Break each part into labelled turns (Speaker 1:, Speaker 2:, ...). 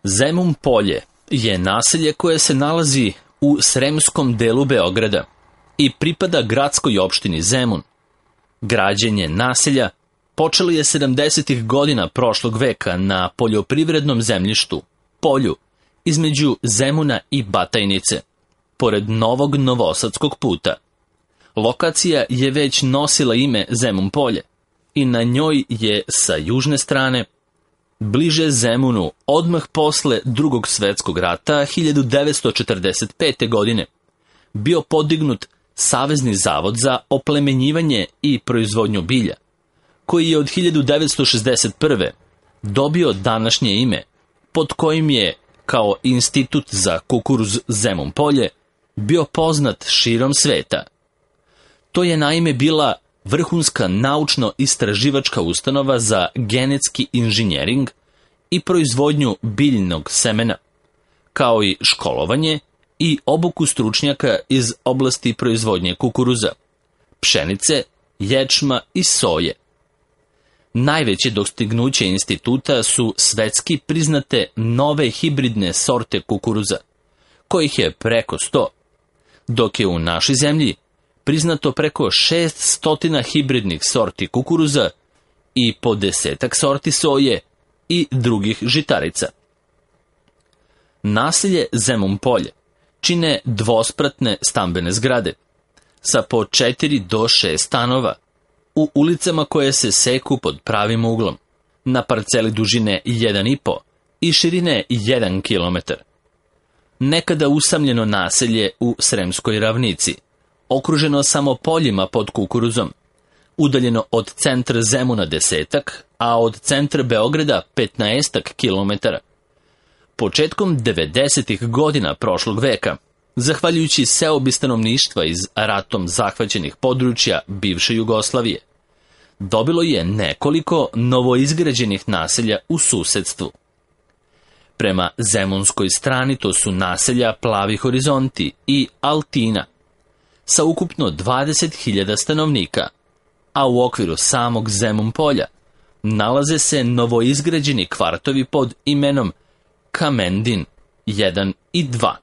Speaker 1: Zemun Polje je naselje koje se nalazi u sremskom delu Beograda i pripada gradskoj opštini Zemun. Građenje naselja počelo je 70. godina prošlog veka na poljoprivrednom zemljištu, polju, između Zemuna i Batajnice, pored novog novosadskog puta. Lokacija je već nosila ime Zemun Polje i na njoj je sa južne strane, bliže Zemunu, odmah posle Drugog svetskog rata 1945. godine, bio podignut Savezni zavod za oplemenjivanje i proizvodnju bilja, koji je od 1961. dobio današnje ime, pod kojim je, kao Institut za kukuruz Zemun Polje, bio poznat širom sveta. To je naime bila vrhunska naučno-istraživačka ustanova za genetski inženjering i proizvodnju biljnog semena, kao i školovanje i obuku stručnjaka iz oblasti proizvodnje kukuruza, pšenice, ječma i soje. Najveće dostignuće instituta su svetski priznate nove hibridne sorte kukuruza, kojih je preko 100, dok je u našoj zemlji priznato preko 600 hibridnih sorti kukuruza i po 10 sorti soje i drugih žitarica. Naselje Zemun Polje čine dvospratne stambene zgrade sa po 4 do 6 stanova u ulicama koje se seku pod pravim uglom, na parceli dužine 1,5 i širine 1 km. Nekada usamljeno naselje u Sremskoj ravnici, okruženo samo poljima pod kukuruzom, udaljeno od centra Zemuna 10, a od centra Beograda 15 km. Početkom 90. godina prošlog veka, zahvaljujući seobi stanovništva iz ratom zahvaćenih područja bivše Jugoslavije, dobilo je nekoliko novoizgrađenih naselja u susedstvu. Prema zemunskoj strani to su naselja Plavi horizonti i Altina, sa ukupno 20.000 stanovnika, a u okviru samog Zemun Polja nalaze se novoizgrađeni kvartovi pod imenom Kamendin 1 i 2.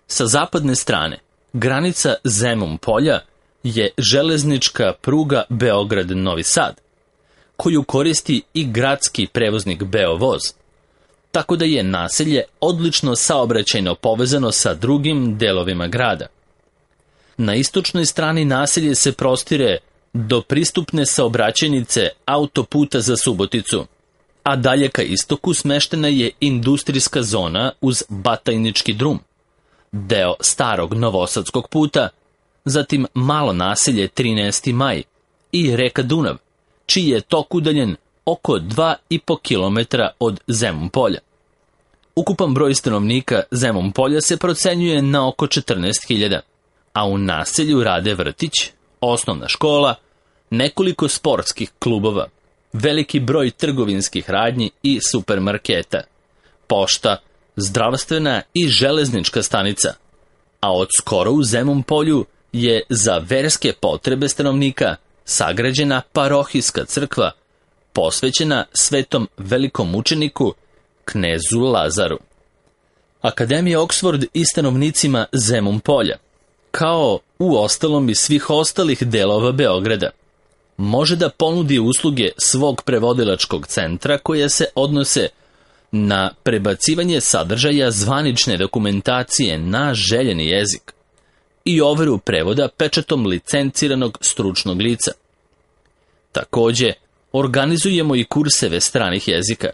Speaker 1: Sa zapadne strane, granica Zemun Polja je železnička pruga Beograd-Novi Sad, koju koristi i gradski prevoznik Beovoz, tako da je naselje odlično saobraćajno povezano sa drugim delovima grada. Na istočnoj strani naselje se prostire do pristupne saobraćajnice autoputa za Suboticu, a dalje ka istoku smeštena je industrijska zona uz Batajnički drum, deo starog novosadskog puta, zatim malo naselje 13. maj i reka Dunav, čiji je tok udaljen oko 2,5 km od Zemun Polja. Ukupan broj stanovnika Zemun Polja se procenjuje na oko 14.000, a u naselju rade vrtić, osnovna škola, nekoliko sportskih klubova, veliki broj trgovinskih radnji i supermarketa, pošta, zdravstvena i železnička stanica, a od skoro u Zemun Polju je za verske potrebe stanovnika sagrađena parohijska crkva posvećena svetom velikom mučeniku knezu Lazaru. Akademija Oxford i stanovnicima Zemun Polja, kao u ostalom i svih ostalih delova Beograda, može da ponudi usluge svog prevodilačkog centra koje se odnose na prebacivanje sadržaja zvanične dokumentacije na željeni jezik i overu prevoda pečatom licenciranog stručnog lica. Takođe, organizujemo i kurseve stranih jezika,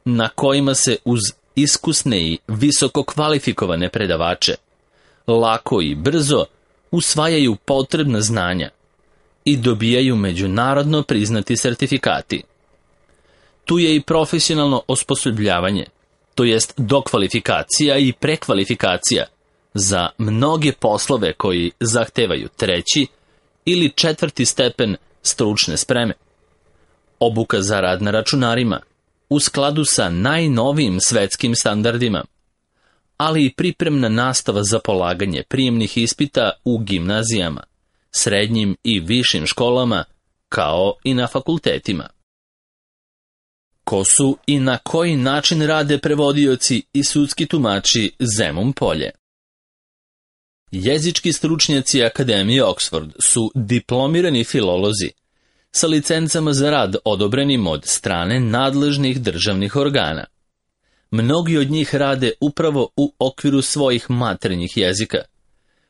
Speaker 1: na kojima se uz iskusne i visoko kvalifikovane predavače lako i brzo usvajaju potrebna znanja i dobijaju međunarodno priznati sertifikati. Tu je i profesionalno osposobljavanje, to jest dokvalifikacija i prekvalifikacija za mnoge poslove koji zahtevaju 3. ili 4. stepen stručne spreme. Obuka za rad na računarima, u skladu sa najnovijim svetskim standardima, ali i pripremna nastava za polaganje prijemnih ispita u gimnazijama, srednjim i višim školama, kao i na fakultetima. Ko su i na koji način rade prevodioci i sudski tumači Zemun Polje? Jezički stručnjaci Akademije Oxford su diplomirani filolozi sa licencama za rad odobrenim od strane nadležnih državnih organa. Mnogi od njih rade upravo u okviru svojih maternjih jezika,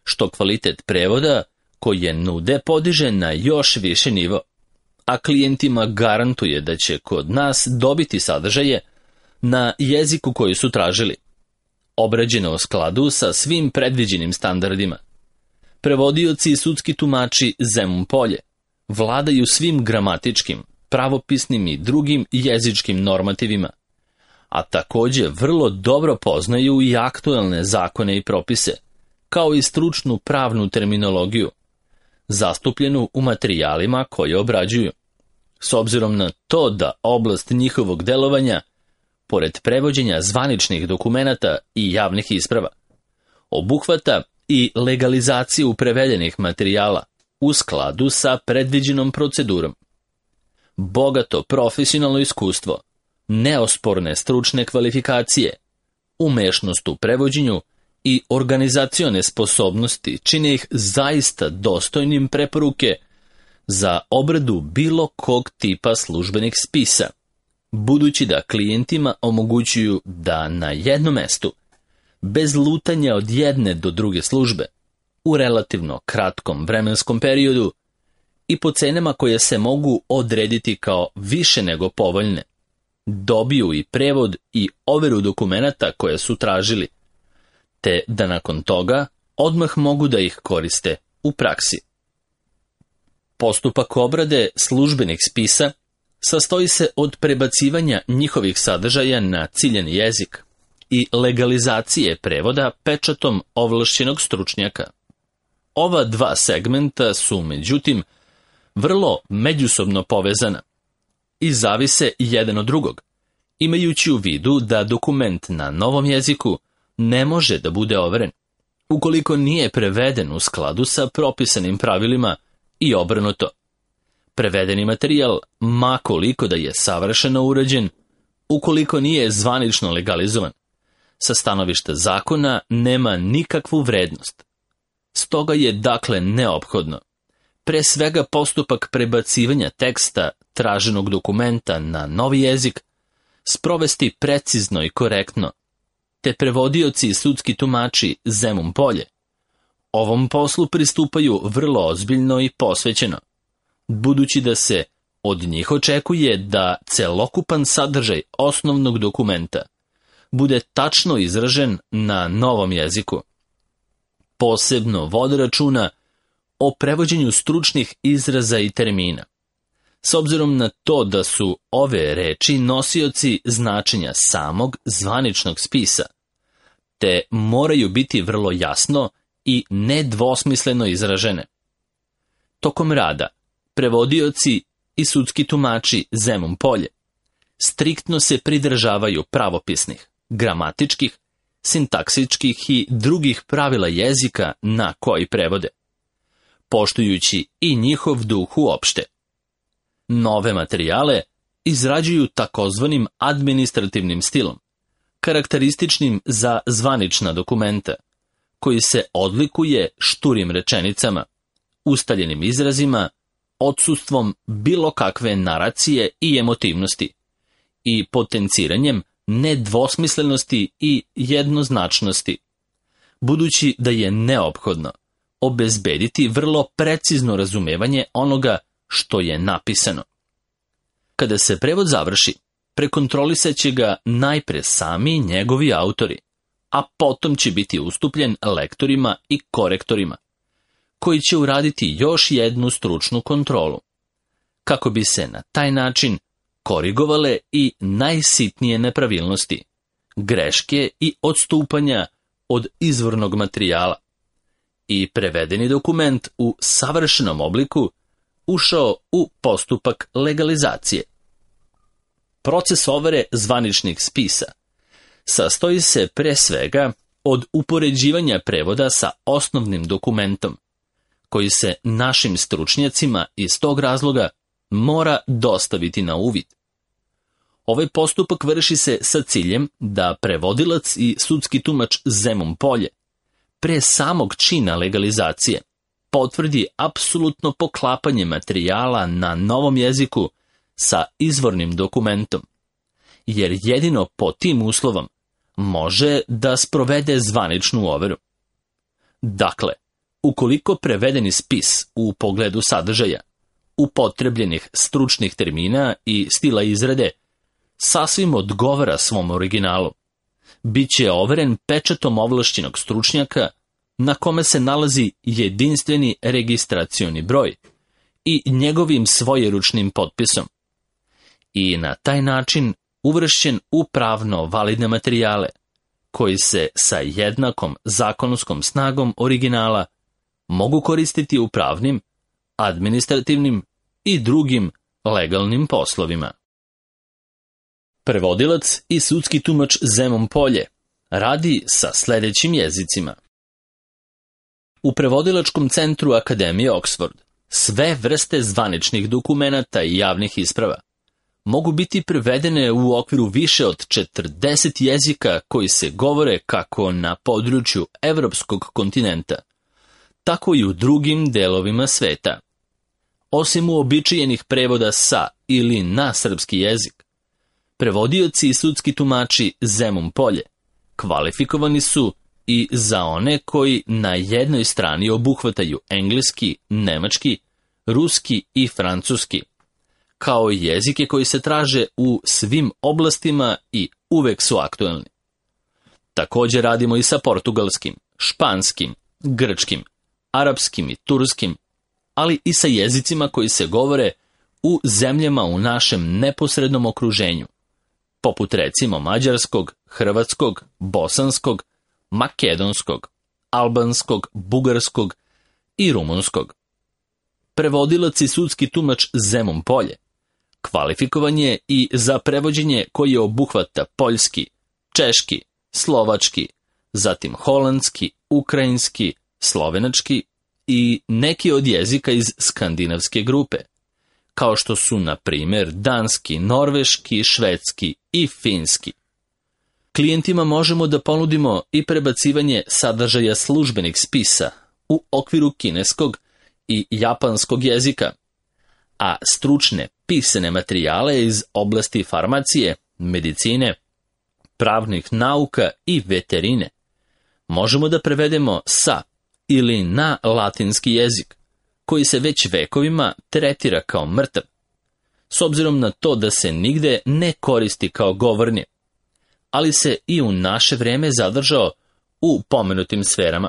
Speaker 1: što kvalitet prevoda koje nude podiže na još više nivo, a klijentima garantuje da će kod nas dobiti sadržaje na jeziku koji su tražili, obrađeno u skladu sa svim predviđenim standardima. Prevodioci i sudski tumači Zemun Polje vladaju svim gramatičkim, pravopisnim i drugim jezičkim normativima, a također vrlo dobro poznaju i aktuelne zakone i propise, kao i stručnu pravnu terminologiju, zastupljenu u materijalima koje obrađuju, s obzirom na to da oblast njihovog delovanja, pored prevođenja zvaničnih dokumenata i javnih isprava, obuhvata i legalizaciju prevedenih materijala u skladu sa predviđenom procedurom. Bogato profesionalno iskustvo, neosporne stručne kvalifikacije, umešnost u prevođenju i organizacione sposobnosti čine ih zaista dostojnim preporuke za obradu bilo kog tipa službenih spisa, budući da klijentima omogućuju da na jednom mestu, bez lutanja od jedne do druge službe, u relativno kratkom vremenskom periodu i po cenama koje se mogu odrediti kao više nego povoljne, dobiju i prevod i overu dokumenata koje su tražili, te da nakon toga odmah mogu da ih koriste u praksi. Postupak obrade službenih spisa sastoji se od prebacivanja njihovih sadržaja na ciljani jezik i legalizacije prevoda pečatom ovlašćenog stručnjaka. Ova dva segmenta su, međutim, vrlo međusobno povezana i zavise jedan od drugog, imajući u vidu da dokument na novom jeziku ne može da bude overen, ukoliko nije preveden u skladu sa propisanim pravilima i obrnuto. Prevedeni materijal, ma koliko da je savršeno urađen, ukoliko nije zvanično legalizovan, sa stanovišta zakona nema nikakvu vrednost. Stoga je dakle neophodno, pre svega postupak prebacivanja teksta traženog dokumenta na novi jezik, sprovesti precizno i korektno, te prevodioci i sudski tumači Zemun Polje ovom poslu pristupaju vrlo ozbiljno i posvećeno, budući da se od njih očekuje da celokupan sadržaj osnovnog dokumenta bude tačno izražen na novom jeziku. Posebno vode računa o prevođenju stručnih izraza i termina, s obzirom na to da su ove reči nosioci značenja samog zvaničnog spisa, te moraju biti vrlo jasno i nedvosmisleno izražene. Tokom rada, prevodioci i sudski tumači Zemun Polje striktno se pridržavaju pravopisnih, gramatičkih, sintaksičkih i drugih pravila jezika na koji prevode, poštujući i njihov duh uopšte. Nove materijale izrađuju takozvanim administrativnim stilom, karakterističnim za zvanična dokumenta, koji se odlikuje šturim rečenicama, ustaljenim izrazima, odsustvom bilo kakve naracije i emotivnosti i potenciranjem nedvosmislenosti i jednoznačnosti, budući da je neophodno obezbediti vrlo precizno razumevanje onoga što je napisano. Kada se prevod završi, prekontrolisat će ga najpre sami njegovi autori, a potom će biti ustupljen lektorima i korektorima, koji će uraditi još jednu stručnu kontrolu, kako bi se na taj način korigovale i najsitnije nepravilnosti, greške i odstupanja od izvornog materijala i prevedeni dokument u savršenom obliku ušao u postupak legalizacije. Proces overe zvaničnih spisa sastoji se pre svega od upoređivanja prevoda sa osnovnim dokumentom, koji se našim stručnjacima iz tog razloga mora dostaviti na uvid. Ovaj postupak vrši se sa ciljem da prevodilac i sudski tumač Zemun Polje, pre samog čina legalizacije, potvrdi apsolutno poklapanje materijala na novom jeziku sa izvornim dokumentom, jer jedino po tim uslovom može da sprovede zvaničnu overu. Dakle, ukoliko prevedeni spis u pogledu sadržaja, upotrebljenih stručnih termina i stila izrade sasvim odgovara svom originalu, bit će overen pečatom ovlašćenog stručnjaka na kome se nalazi jedinstveni registracioni broj i njegovim svojeručnim potpisom i na taj način uvršćen u pravno validne materijale koji se sa jednakom zakonskom snagom originala mogu koristiti u pravnim, administrativnim i drugim legalnim poslovima. Prevodilac i sudski tumač Zemun Polje radi sa sledećim jezicima. U Prevodilačkom centru Akademije Oxford sve vrste zvaničnih dokumenata i javnih isprava mogu biti prevedene u okviru više od 40 jezika koji se govore kako na području evropskog kontinenta, tako i u drugim delovima sveta. Osim uobičajenih prevoda sa ili na srpski jezik, prevodioci i sudski tumači Zemun Polje kvalifikovani su i za one koji na jednoj strani obuhvataju engleski, nemački, ruski i francuski, kao i jezike koji se traže u svim oblastima i uvek su aktuelni. Također radimo i sa portugalskim, španskim, grčkim, arapskim i turskim, ali i sa jezicima koji se govore u zemljama u našem neposrednom okruženju, poput recimo mađarskog, hrvatskog, bosanskog, makedonskog, albanskog, bugarskog i rumunskog. Prevodilac i sudski tumač Zemun Polje kvalifikovan je i za prevođenje koje obuhvata poljski, češki, slovački, zatim holandski, ukrajinski, slovenački i neki od jezika iz skandinavske grupe, kao što su, na primjer, danski, norveški, švedski i finski. Klijentima možemo da ponudimo i prebacivanje sadržaja službenih spisa u okviru kineskog i japanskog jezika, a stručne pisane materijale iz oblasti farmacije, medicine, pravnih nauka i veterine možemo da prevedemo sa ili na latinski jezik, koji se već vekovima tretira kao mrtav, s obzirom na to da se nigde ne koristi kao govorni, ali se i u naše vreme zadržao u pomenutim sferama.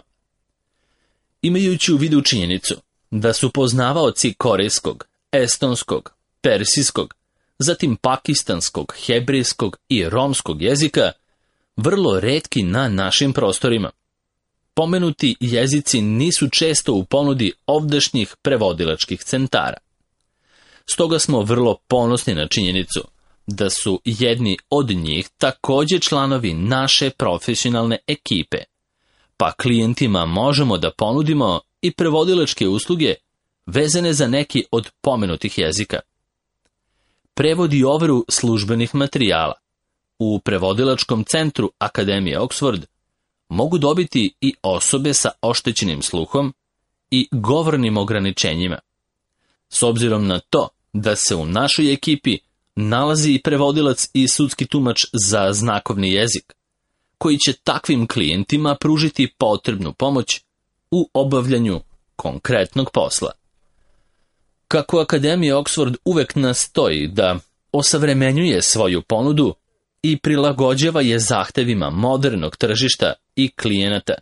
Speaker 1: Imajući u vidu činjenicu da su poznavaoci korejskog, estonskog, persijskog, zatim pakistanskog, hebrejskog i romskog jezika vrlo retki na našim prostorima, pomenuti jezici nisu često u ponudi ovdašnjih prevodilačkih centara. Stoga smo vrlo ponosni na činjenicu da su jedni od njih također članovi naše profesionalne ekipe, pa klijentima možemo da ponudimo i prevodilačke usluge vezane za neki od pomenutih jezika. Prevod i overu službenih materijala u Prevodilačkom centru Akademije Oxford mogu dobiti i osobe sa oštećenim sluhom i govornim ograničenjima. S obzirom na to da se u našoj ekipi nalazi i prevodilac i sudski tumač za znakovni jezik, koji će takvim klijentima pružiti potrebnu pomoć u obavljanju konkretnog posla. Kako Akademija Oxford uvek nastoji da osavremenjuje svoju ponudu i prilagođava je zahtevima modernog tržišta i klijenata,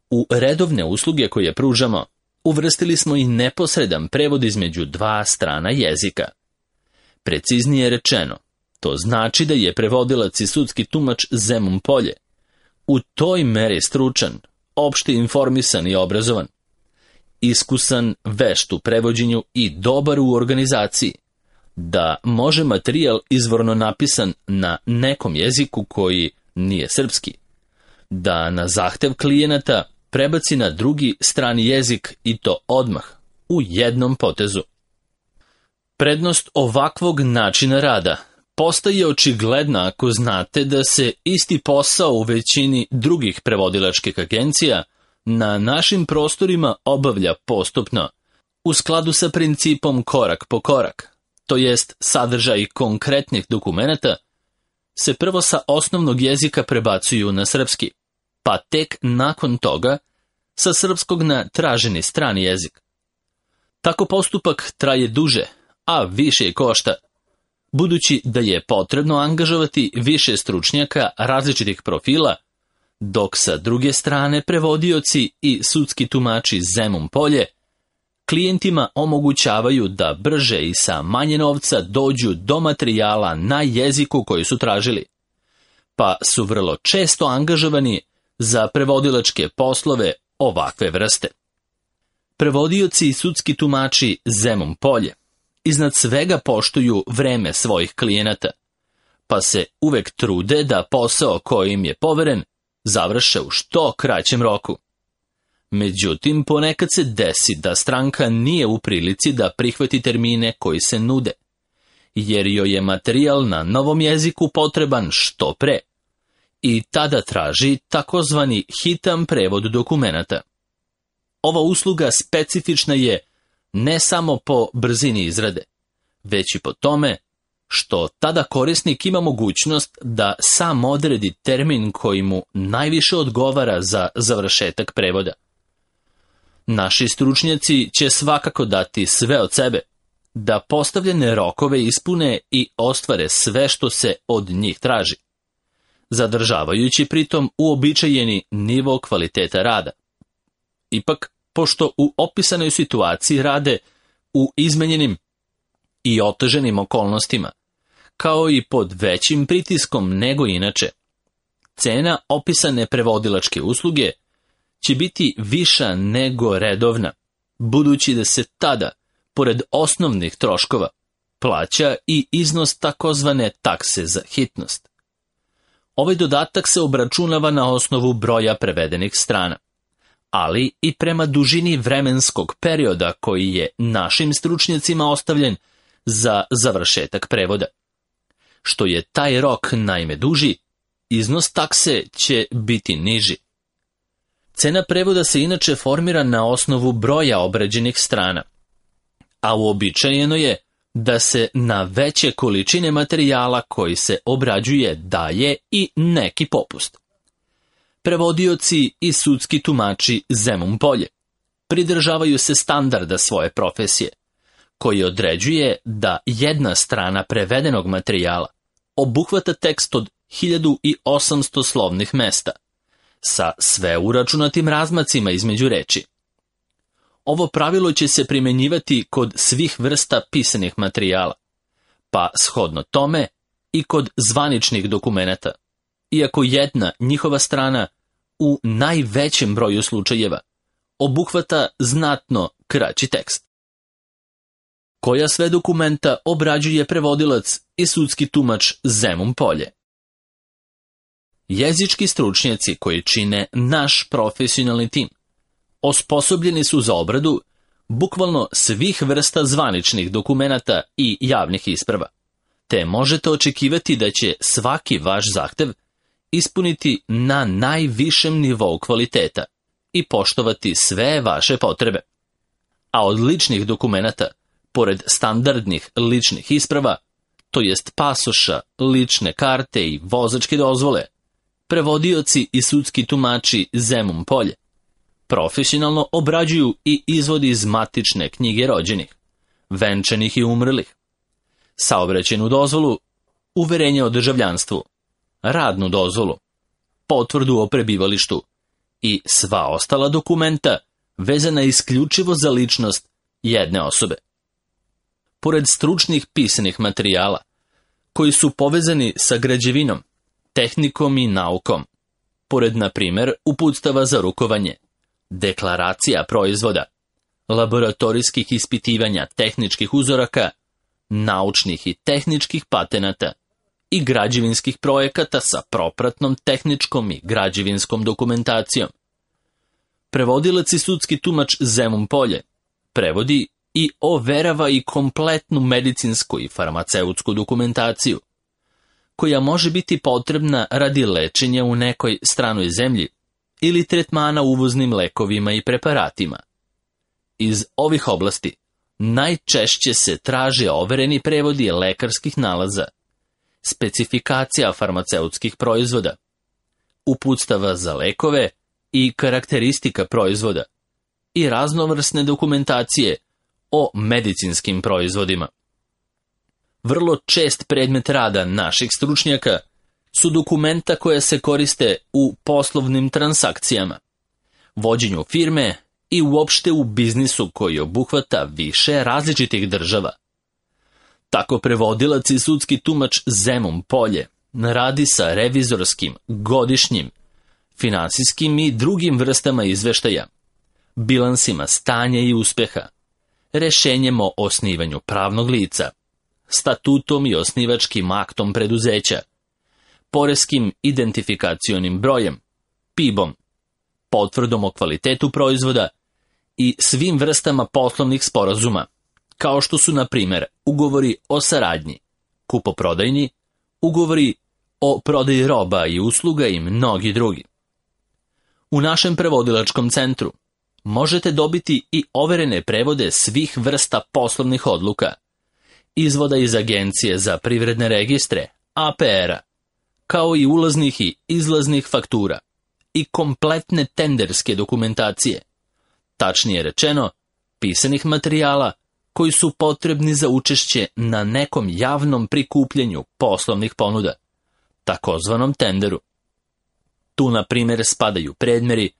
Speaker 1: u redovne usluge koje pružamo uvrstili smo i neposredan prevod između dva strana jezika. Preciznije rečeno, to znači da je prevodilac i sudski tumač Zemun Polje u toj meri stručan, opšte informisan i obrazovan, iskusan, vešt u prevođenju i dobar u organizaciji, da može materijal izvorno napisan na nekom jeziku koji nije srpski, da na zahtev klijenata prebaci na drugi strani jezik i to odmah, u jednom potezu. Prednost ovakvog načina rada postaje očigledna ako znate da se isti posao u većini drugih prevodilačkih agencija na našim prostorima obavlja postupno, u skladu sa principom korak po korak, to jest sadržaj konkretnih dokumenata, se prvo sa osnovnog jezika prebacuju na srpski, pa tek nakon toga sa srpskog na traženi strani jezik. Tako postupak traje duže, a više košta, budući da je potrebno angažovati više stručnjaka različitih profila, dok sa druge strane prevodioci i sudski tumači Zemun Polje klijentima omogućavaju da brže i sa manje novca dođu do materijala na jeziku koji su tražili, pa su vrlo često angažovani za prevodilačke poslove ovakve vrste. Prevodioci i sudski tumači Zemun Polje iznad svega poštuju vreme svojih klijenata, pa se uvek trude da posao koji im je poveren završe u što kraćem roku. Međutim, ponekad se desi da stranka nije u prilici da prihvati termine koji se nude, jer joj je materijal na novom jeziku potreban što pre, i tada traži takozvani hitan prevod dokumenata. Ova usluga specifična je ne samo po brzini izrade, već i po tome što tada korisnik ima mogućnost da sam odredi termin koji mu najviše odgovara za završetak prevoda. Naši stručnjaci će svakako dati sve od sebe da postavljene rokove ispune i ostvare sve što se od njih traži, zadržavajući pritom uobičajeni nivo kvaliteta rada. Ipak, pošto u opisanoj situaciji rade u izmenjenim i oteženim okolnostima, kao i pod većim pritiskom nego inače, cena opisane prevodilačke usluge će biti viša nego redovna, budući da se tada, pored osnovnih troškova, plaća i iznos takozvane takse za hitnost. Ovaj dodatak se obračunava na osnovu broja prevedenih strana, ali i prema dužini vremenskog perioda koji je našim stručnjacima ostavljen za završetak prevoda. Što je taj rok naime duži, iznos takse će biti niži. Cena prevoda se inače formira na osnovu broja obrađenih strana, a uobičajeno je da se na veće količine materijala koji se obrađuje daje i neki popust. Prevodioci i sudski tumači Zemun Polje pridržavaju se standarda svoje profesije, koji određuje da jedna strana prevedenog materijala obuhvata tekst od 1800 slovnih mesta, sa sve uračunatim razmacima između reči. Ovo pravilo će se primjenjivati kod svih vrsta pisanih materijala, pa shodno tome i kod zvaničnih dokumenata, iako jedna njihova strana u najvećem broju slučajeva obuhvata znatno kraći tekst. Koja sve dokumenta obrađuje prevodilac i sudski tumač Zemun Polje? Jezički stručnjaci koji čine naš profesionalni tim osposobljeni su za obradu bukvalno svih vrsta zvaničnih dokumenata i javnih isprava, te možete očekivati da će svaki vaš zahtev ispuniti na najvišem nivou kvaliteta i poštovati sve vaše potrebe. A od ličnih dokumenata, pored standardnih ličnih isprava, to jest pasoša, lične karte i vozačke dozvole, prevodioci i sudski tumači Zemun Polje profesionalno obrađuju i izvodi iz matične knjige rođenih, venčanih i umrlih, saobraćajnu dozvolu, uverenje o državljanstvu, radnu dozvolu, potvrdu o prebivalištu i sva ostala dokumenta vezana isključivo za ličnost jedne osobe. Pored stručnih pisanih materijala, koji su povezani sa građevinom, tehnikom i naukom, pored, na primjer, uputstava za rukovanje, deklaracija proizvoda, laboratorijskih ispitivanja tehničkih uzoraka, naučnih i tehničkih patenata i građevinskih projekata sa propratnom tehničkom i građevinskom dokumentacijom. Prevodilac i sudski tumač Zemun Polje prevodi i overava i kompletnu medicinsku i farmaceutsku dokumentaciju, koja može biti potrebna radi lečenja u nekoj stranoj zemlji ili tretmana uvoznim lekovima i preparatima. Iz ovih oblasti najčešće se traže overeni prevodi lekarskih nalaza, specifikacija farmaceutskih proizvoda, uputstava za lekove i karakteristika proizvoda i raznovrsne dokumentacije o medicinskim proizvodima. Vrlo čest predmet rada naših stručnjaka su dokumenta koja se koriste u poslovnim transakcijama, vođenju firme i uopšte u biznisu koji obuhvata više različitih država. Tako prevodilac i sudski tumač Zemun Polje radi sa revizorskim, godišnjim, finansijskim i drugim vrstama izveštaja, bilansima stanja i uspeha, rešenjem o osnivanju pravnog lica, statutom i osnivačkim aktom preduzeća, poreskim identifikacionim brojem, PIB-om, potvrdom o kvalitetu proizvoda i svim vrstama poslovnih sporazuma, kao što su, na primjer, ugovori o saradnji, kupoprodajni, ugovori o prodaji roba i usluga i mnogi drugi. U našem prevodilačkom centru možete dobiti i overene prevode svih vrsta poslovnih odluka, izvoda iz Agencije za privredne registre, APR-a, kao i ulaznih i izlaznih faktura i kompletne tenderske dokumentacije, tačnije rečeno, pisanih materijala koji su potrebni za učešće na nekom javnom prikupljanju poslovnih ponuda, takozvanom tenderu. Tu, na primjer, spadaju predmeri,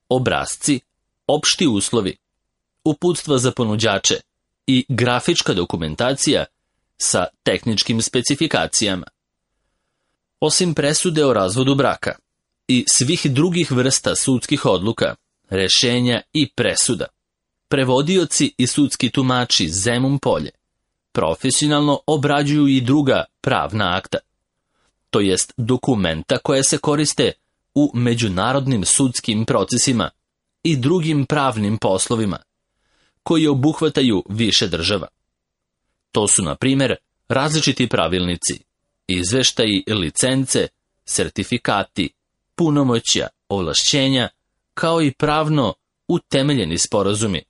Speaker 1: obrasci, opšti uslovi, uputstva za ponuđače i grafička dokumentacija sa tehničkim specifikacijama. Osim presude o razvodu braka i svih drugih vrsta sudskih odluka, rešenja i presuda, prevodioci i sudski tumači Zemun Polje profesionalno obrađuju i druga pravna akta, to jest dokumenta koja se koriste u međunarodnim sudskim procesima i drugim pravnim poslovima, koji obuhvataju više država. To su, na primjer, različiti pravilnici, izveštaji, licence, sertifikati, punomoćja, ovlašćenja, kao i pravno utemeljeni sporazumi,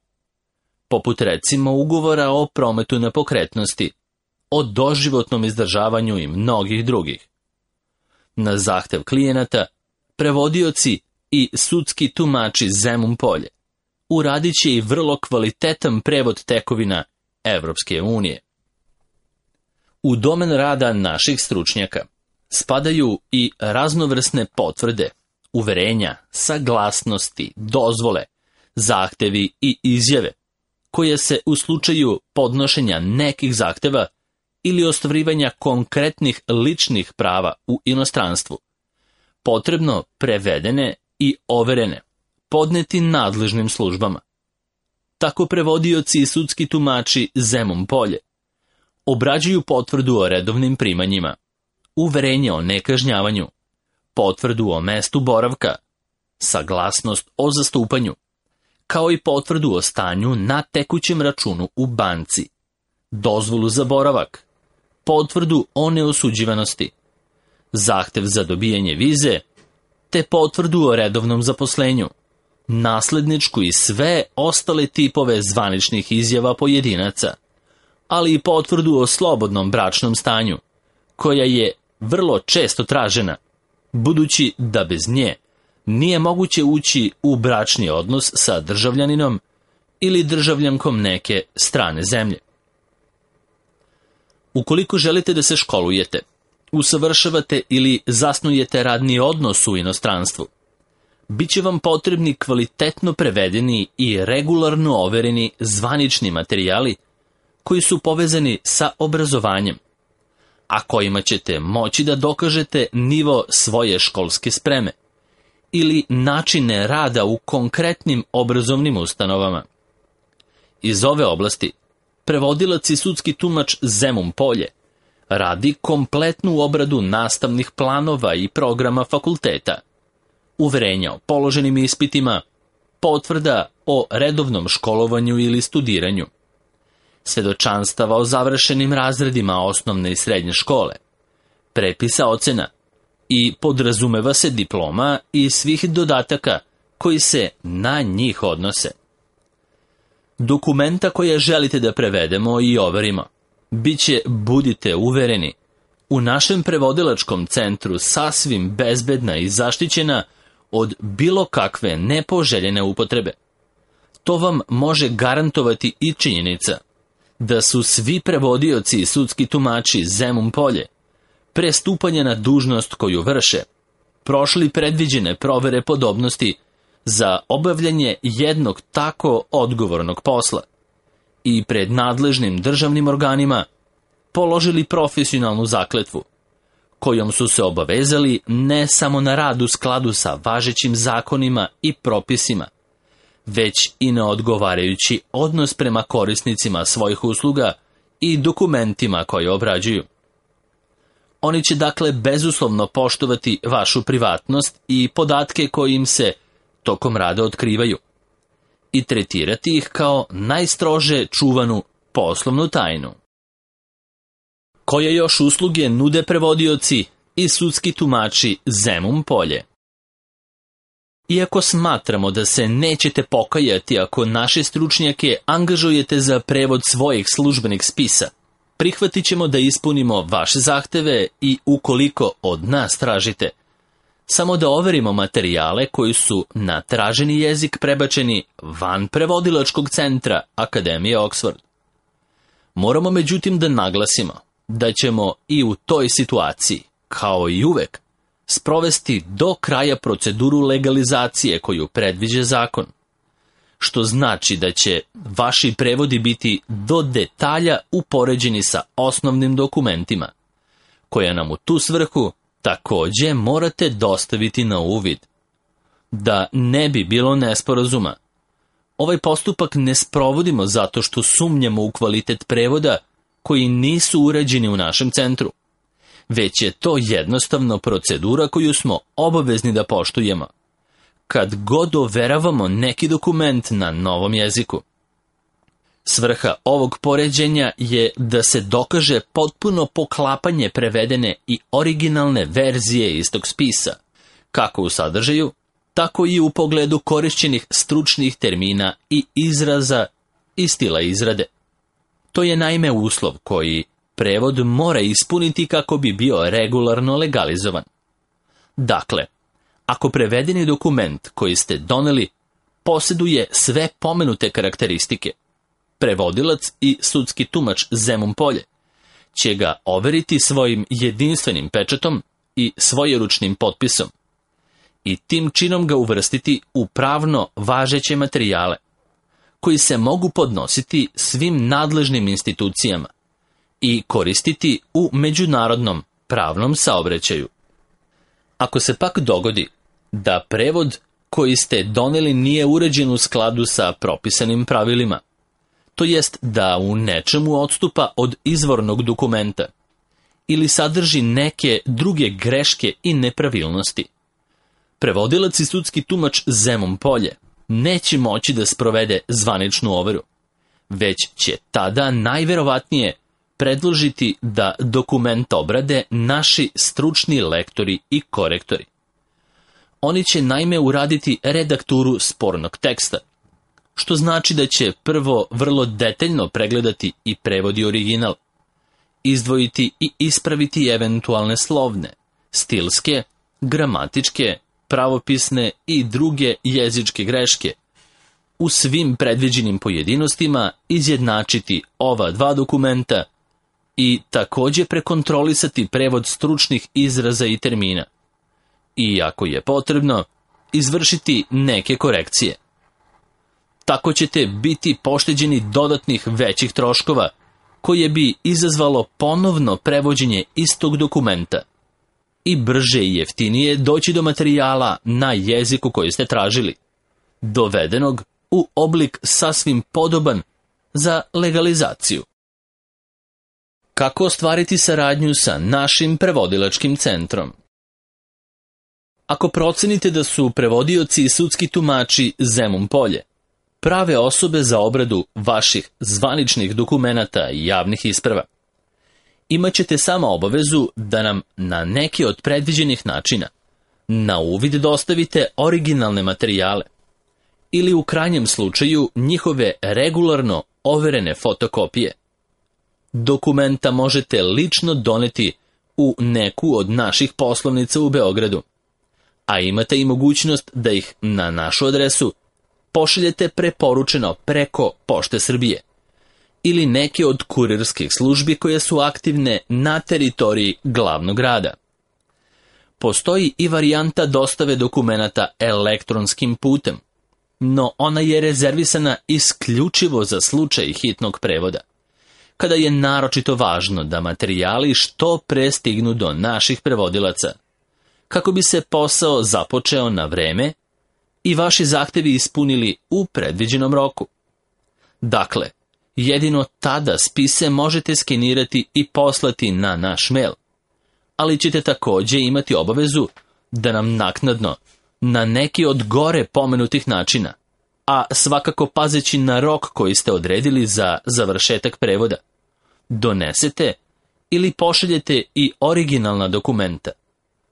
Speaker 1: poput recimo ugovora o prometu nepokretnosti, o doživotnom izdržavanju i mnogih drugih. Na zahtev klijenata, prevodioci i sudski tumači Zemun Polje uradit će i vrlo kvalitetan prevod tekovina Evropske unije. U domen rada naših stručnjaka spadaju i raznovrsne potvrde, uverenja, saglasnosti, dozvole, zahtevi i izjave, koje se u slučaju podnošenja nekih zahteva ili ostvarivanja konkretnih ličnih prava u inostranstvu, potrebno prevedene i overene, podneti nadležnim službama. Tako prevodioci i sudski tumači Zemun Polje obrađuju potvrdu o redovnim primanjima, uverenje o nekažnjavanju, potvrdu o mestu boravka, saglasnost o zastupanju, kao i potvrdu o stanju na tekućem računu u banci, dozvolu za boravak, potvrdu o neosuđivanosti, zahtev za dobijanje vize, te potvrdu o redovnom zaposlenju, nasledničku i sve ostale tipove zvaničnih izjava pojedinaca, ali i potvrdu o slobodnom bračnom stanju, koja je vrlo često tražena, budući da bez nje nije moguće ući u bračni odnos sa državljaninom ili državljankom neke strane zemlje. Ukoliko želite da se školujete, usavršavate ili zasnujete radni odnos u inostranstvu, bit će vam potrebni kvalitetno prevedeni i regularno overeni zvanični materijali koji su povezani sa obrazovanjem, a kojima ćete moći da dokažete nivo svoje školske spreme ili načine rada u konkretnim obrazovnim ustanovama. Iz ove oblasti prevodilac i sudski tumač Zemun Polje radi kompletnu obradu nastavnih planova i programa fakulteta, uverenja o položenim ispitima, potvrda o redovnom školovanju ili studiranju, svedočanstava o završenim razredima osnovne i srednje škole, prepisa ocena i podrazumeva se diploma i svih dodataka koji se na njih odnose. Dokumenta koje želite da prevedemo i overimo biće, budite uvereni, u našem prevodilačkom centru sasvim bezbedna i zaštićena od bilo kakve nepoželjene upotrebe. To vam može garantovati i činjenica da su svi prevodioci i sudski tumači Zemun Polje, pre stupanja na dužnost koju vrše, prošli predviđene provere podobnosti za obavljanje jednog tako odgovornog posla i pred nadležnim državnim organima položili profesionalnu zakletvu, kojom su se obavezali ne samo na rad u skladu sa važećim zakonima i propisima, već i na odgovarajući odnos prema korisnicima svojih usluga i dokumentima koje obrađuju. Oni će dakle bezuslovno poštovati vašu privatnost i podatke koji im se tokom rada otkrivaju i tretirati ih kao najstrože čuvanu poslovnu tajnu. Koje još usluge nude prevodioci i sudski tumači Zemun Polje? Iako smatramo da se nećete pokajati ako naše stručnjake angažujete za prevod svojih službenih spisa, prihvatit ćemo da ispunimo vaše zahteve i ukoliko od nas tražite, samo da overimo materijale koji su na traženi jezik prebačeni van prevodilačkog centra Akademije Oxford. Moramo međutim da naglasimo da ćemo i u toj situaciji, kao i uvek, sprovesti do kraja proceduru legalizacije koju predviđa zakon, što znači da će vaši prevodi biti do detalja upoređeni sa osnovnim dokumentima, koje nam u tu svrhu takođe morate dostaviti na uvid. Da ne bi bilo nesporazuma, ovaj postupak ne sprovodimo zato što sumnjamo u kvalitet prevoda koji nisu uređeni u našem centru, već je to jednostavno procedura koju smo obavezni da poštujemo kad god overavamo neki dokument na novom jeziku. Svrha ovog poređenja je da se dokaže potpuno poklapanje prevedene i originalne verzije istog spisa, kako u sadržaju, tako i u pogledu korišćenih stručnih termina i izraza i stila izrade. To je naime uslov koji prevod mora ispuniti kako bi bio regularno legalizovan. Dakle, ako prevedeni dokument koji ste doneli posjeduje sve pomenute karakteristike, prevodilac i sudski tumač Zemun Polje će ga overiti svojim jedinstvenim pečatom i svojeručnim potpisom i tim činom ga uvrstiti u pravno važeće materijale, koji se mogu podnositi svim nadležnim institucijama i koristiti u međunarodnom pravnom saobraćaju. Ako se pak dogodi da prevod koji ste doneli nije uređen u skladu sa propisanim pravilima, to jest da u nečemu odstupa od izvornog dokumenta ili sadrži neke druge greške i nepravilnosti, prevodilac i sudski tumač Zemun Polje neće moći da sprovede zvaničnu overu, već će tada najverovatnije predložiti da dokument obrade naši stručni lektori i korektori. Oni će naime uraditi redakturu spornog teksta, što znači da će prvo vrlo detaljno pregledati i prevodi original, izdvojiti i ispraviti eventualne slovne, stilske, gramatičke, pravopisne i druge jezičke greške, u svim predviđenim pojedinostima izjednačiti ova dva dokumenta i takođe prekontrolisati prevod stručnih izraza i termina i, ako je potrebno, izvršiti neke korekcije. Tako ćete biti pošteđeni dodatnih većih troškova, koje bi izazvalo ponovno prevođenje istog dokumenta i brže i jeftinije doći do materijala na jeziku koji ste tražili, dovedenog u oblik sasvim podoban za legalizaciju. Kako ostvariti saradnju sa našim prevodilačkim centrom? Ako procenite da su prevodioci i sudski tumači Zemun Polje prave osobe za obradu vaših zvaničnih dokumenata i javnih isprava, imat ćete samo obavezu da nam na neki od predviđenih načina na uvid dostavite originalne materijale ili u krajnjem slučaju njihove regularno overene fotokopije. Dokumenta možete lično doneti u neku od naših poslovnica u Beogradu, a imate i mogućnost da ih na našu adresu pošaljete preporučeno preko Pošte Srbije ili neke od kurirskih službi koje su aktivne na teritoriji glavnog grada. Postoji i varijanta dostave dokumenata elektronskim putem, no ona je rezervisana isključivo za slučaj hitnog prevoda, kada je naročito važno da materijali što pre stignu do naših prevodilaca, kako bi se posao započeo na vreme i vaši zahtevi ispunili u predviđenom roku. Dakle, jedino tada spise možete skenirati i poslati na naš mail, ali ćete također imati obavezu da nam naknadno, na neki od gore pomenutih načina, a svakako pazeći na rok koji ste odredili za završetak prevoda, donesete ili pošaljete i originalna dokumenta,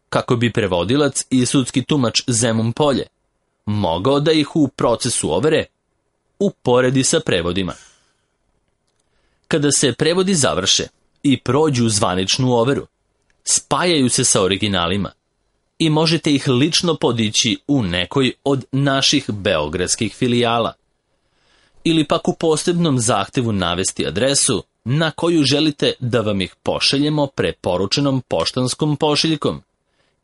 Speaker 1: kako bi prevodilac i sudski tumač Zemun Polje mogao da ih u procesu overe uporedi sa prevodima. Kada se prevodi završe i prođu zvaničnu overu, spajaju se sa originalima i možete ih lično podići u nekoj od naših beogradskih filijala, ili pak u posebnom zahtevu navesti adresu na koju želite da vam ih pošaljemo preporučenom poštanskom pošiljkom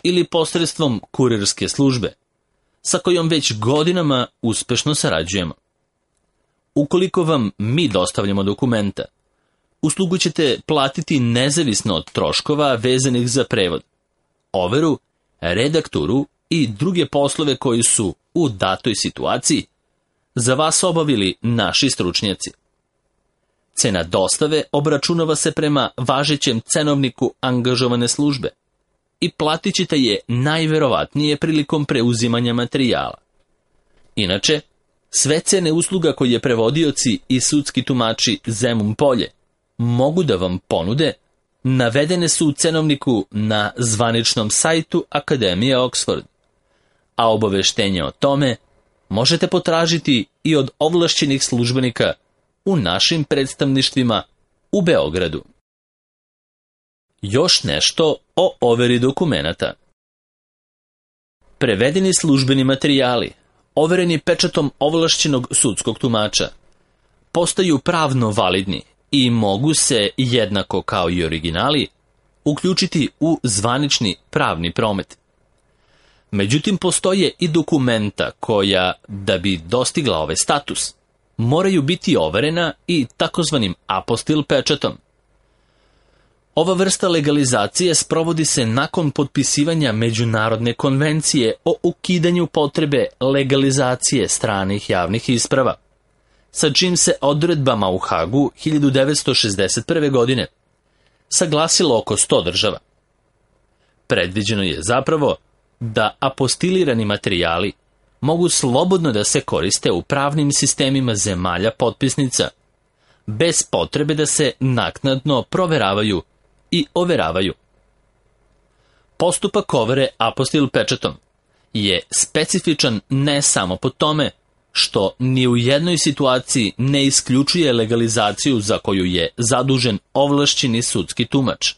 Speaker 1: ili posredstvom kurirske službe, sa kojom već godinama uspešno sarađujemo. Ukoliko vam mi dostavljamo dokumenta, uslugu ćete platiti nezavisno od troškova vezanih za prevod, overu, redakturu i druge poslove koji su u datoj situaciji za vas obavili naši stručnjaci. Cena dostave obračunava se prema važećem cenovniku angažovane službe i platit ćete je najverovatnije prilikom preuzimanja materijala. Inače, sve cene usluga koje prevodioci i sudski tumači Zemun Polje mogu da vam ponude, navedene su u cenovniku na zvaničnom sajtu Akademije Oxford, a obaveštenje o tome možete potražiti i od ovlašćenih službenika u našim predstavništvima u Beogradu. Još nešto o overi dokumenata. Prevedeni službeni materijali, overeni pečatom ovlašćenog sudskog tumača, postaju pravno validni i mogu se, jednako kao i originali, uključiti u zvanični pravni promet. Međutim, postoje i dokumenta koja, da bi dostigla ovaj status, moraju biti overena i takozvanim apostil pečatom. Ova vrsta legalizacije sprovodi se nakon potpisivanja Međunarodne konvencije o ukidanju potrebe legalizacije stranih javnih isprava, sa čim se odredbama u Hagu 1961. godine saglasilo oko 100 država. Predviđeno je zapravo da apostilirani materijali mogu slobodno da se koriste u pravnim sistemima zemalja potpisnica, bez potrebe da se naknadno proveravaju i overavaju. Postupak overe apostil pečatom je specifičan ne samo po tome što ni u jednoj situaciji ne isključuje legalizaciju za koju je zadužen ovlašćeni sudski tumač,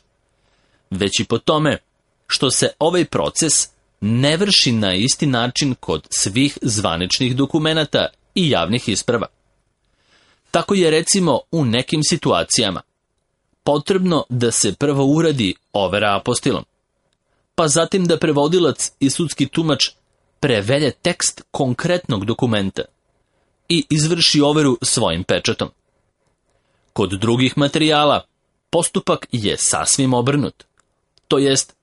Speaker 1: već i po tome što se ovaj proces ne vrši na isti način kod svih zvaničnih dokumenata i javnih isprava. Tako je recimo u nekim situacijama potrebno da se prvo uradi overa apostilom, pa zatim da prevodilac i sudski tumač prevede tekst konkretnog dokumenta i izvrši overu svojim pečatom. Kod drugih materijala postupak je sasvim obrnut, to jest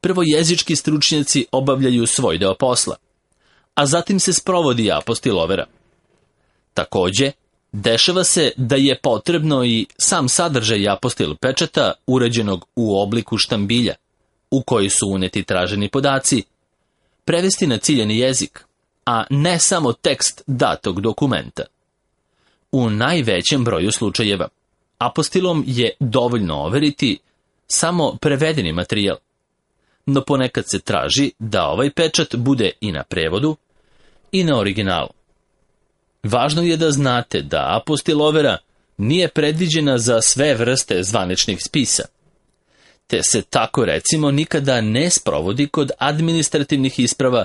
Speaker 1: prvo jezički stručnjaci obavljaju svoj deo posla, a zatim se sprovodi apostil overa. Također, dešava se da je potrebno i sam sadržaj apostil pečata urađenog u obliku štambilja, u koji su uneti traženi podaci, prevesti na ciljani jezik, a ne samo tekst datog dokumenta. U najvećem broju slučajeva apostilom je dovoljno overiti samo prevedeni materijal. No ponekad se traži da ovaj pečat bude i na prevodu i na originalu. Važno je da znate da apostilovera nije predviđena za sve vrste zvaničnih spisa, te se tako recimo nikada ne sprovodi kod administrativnih isprava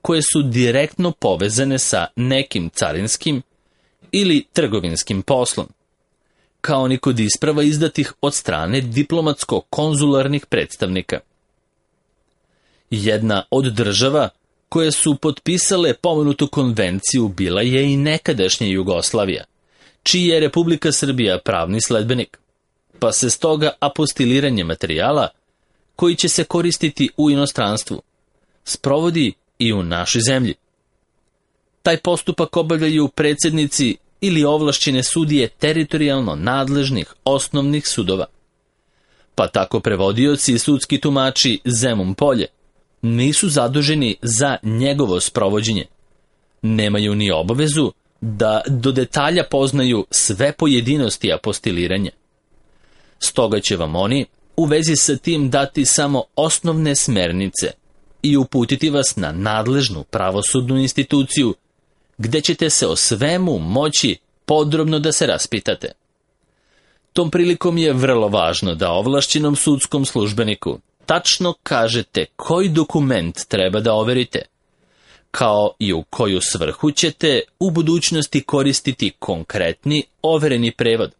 Speaker 1: koje su direktno povezane sa nekim carinskim ili trgovinskim poslom, kao ni kod isprava izdatih od strane diplomatsko-konzularnih predstavnika. Jedna od država koje su potpisale pomenutu konvenciju bila je i nekadašnja Jugoslavija, čiji je Republika Srbija pravni sledbenik, pa se stoga apostiliranje materijala, koji će se koristiti u inostranstvu, sprovodi i u našoj zemlji. Taj postupak obavljaju predsjednici ili ovlašćene sudije teritorijalno nadležnih osnovnih sudova. Pa tako prevodioci i sudski tumači Zemun Polje nisu zaduženi za njegovo sprovođenje. Nemaju ni obavezu da do detalja poznaju sve pojedinosti apostiliranja. Stoga će vam oni u vezi sa tim dati samo osnovne smernice i uputiti vas na nadležnu pravosudnu instituciju, gde ćete se o svemu moći podrobno da se raspitate. Tom prilikom je vrlo važno da ovlašćenom sudskom službeniku tačno kažete koji dokument treba da overite, kao i u koju svrhu ćete u budućnosti koristiti konkretni overeni prevod,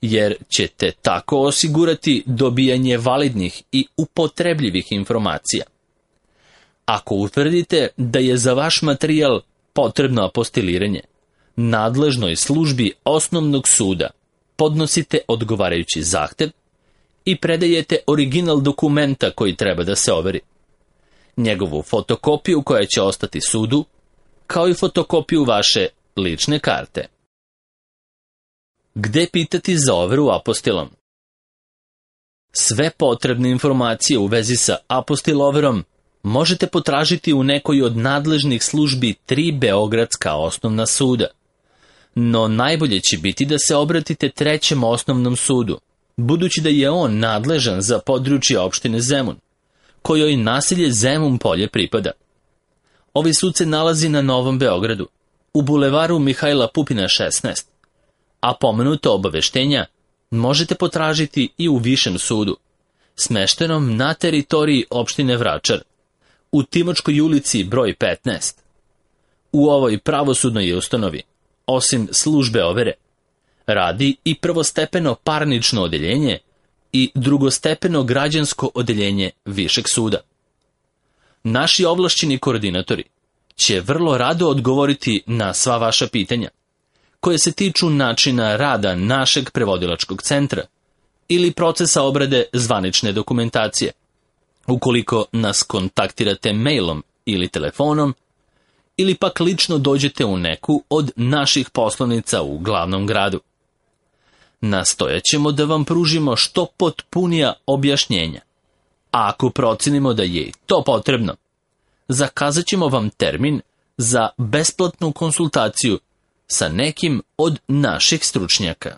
Speaker 1: jer ćete tako osigurati dobijanje validnih i upotrebljivih informacija. Ako utvrdite da je za vaš materijal potrebno apostiliranje, nadležnoj službi osnovnog suda podnosite odgovarajući zahtev i predajete original dokumenta koji treba da se overi, njegovu fotokopiju koja će ostati sudu, kao i fotokopiju vaše lične karte. Gde pitati za overu apostilom? Sve potrebne informacije u vezi sa apostiloverom možete potražiti u nekoj od nadležnih službi 3 beogradska osnovna suda. No najbolje će biti da se obratite 3. osnovnom sudu, budući da je on nadležan za područje opštine Zemun, kojoj naselje Zemun Polje pripada. Ovaj sud se nalazi na Novom Beogradu, u bulevaru Mihajla Pupina 16, a pomenuto obaveštenja možete potražiti i u Višem sudu, smeštenom na teritoriji opštine Vračar, u Timočkoj ulici broj 15. U ovoj pravosudnoj ustanovi, osim službe overe, radi i prvostepeno parnično odeljenje i drugostepeno građansko odeljenje Višeg suda. Naši ovlašćeni koordinatori će vrlo rado odgovoriti na sva vaša pitanja, koje se tiču načina rada našeg prevodilačkog centra ili procesa obrade zvanične dokumentacije, ukoliko nas kontaktirate mailom ili telefonom, ili pak lično dođete u neku od naših poslovnica u glavnom gradu. Nastojat ćemo da vam pružimo što potpunija objašnjenja, a ako procenimo da je i to potrebno, zakazat ćemo vam termin za besplatnu konsultaciju sa nekim od naših stručnjaka.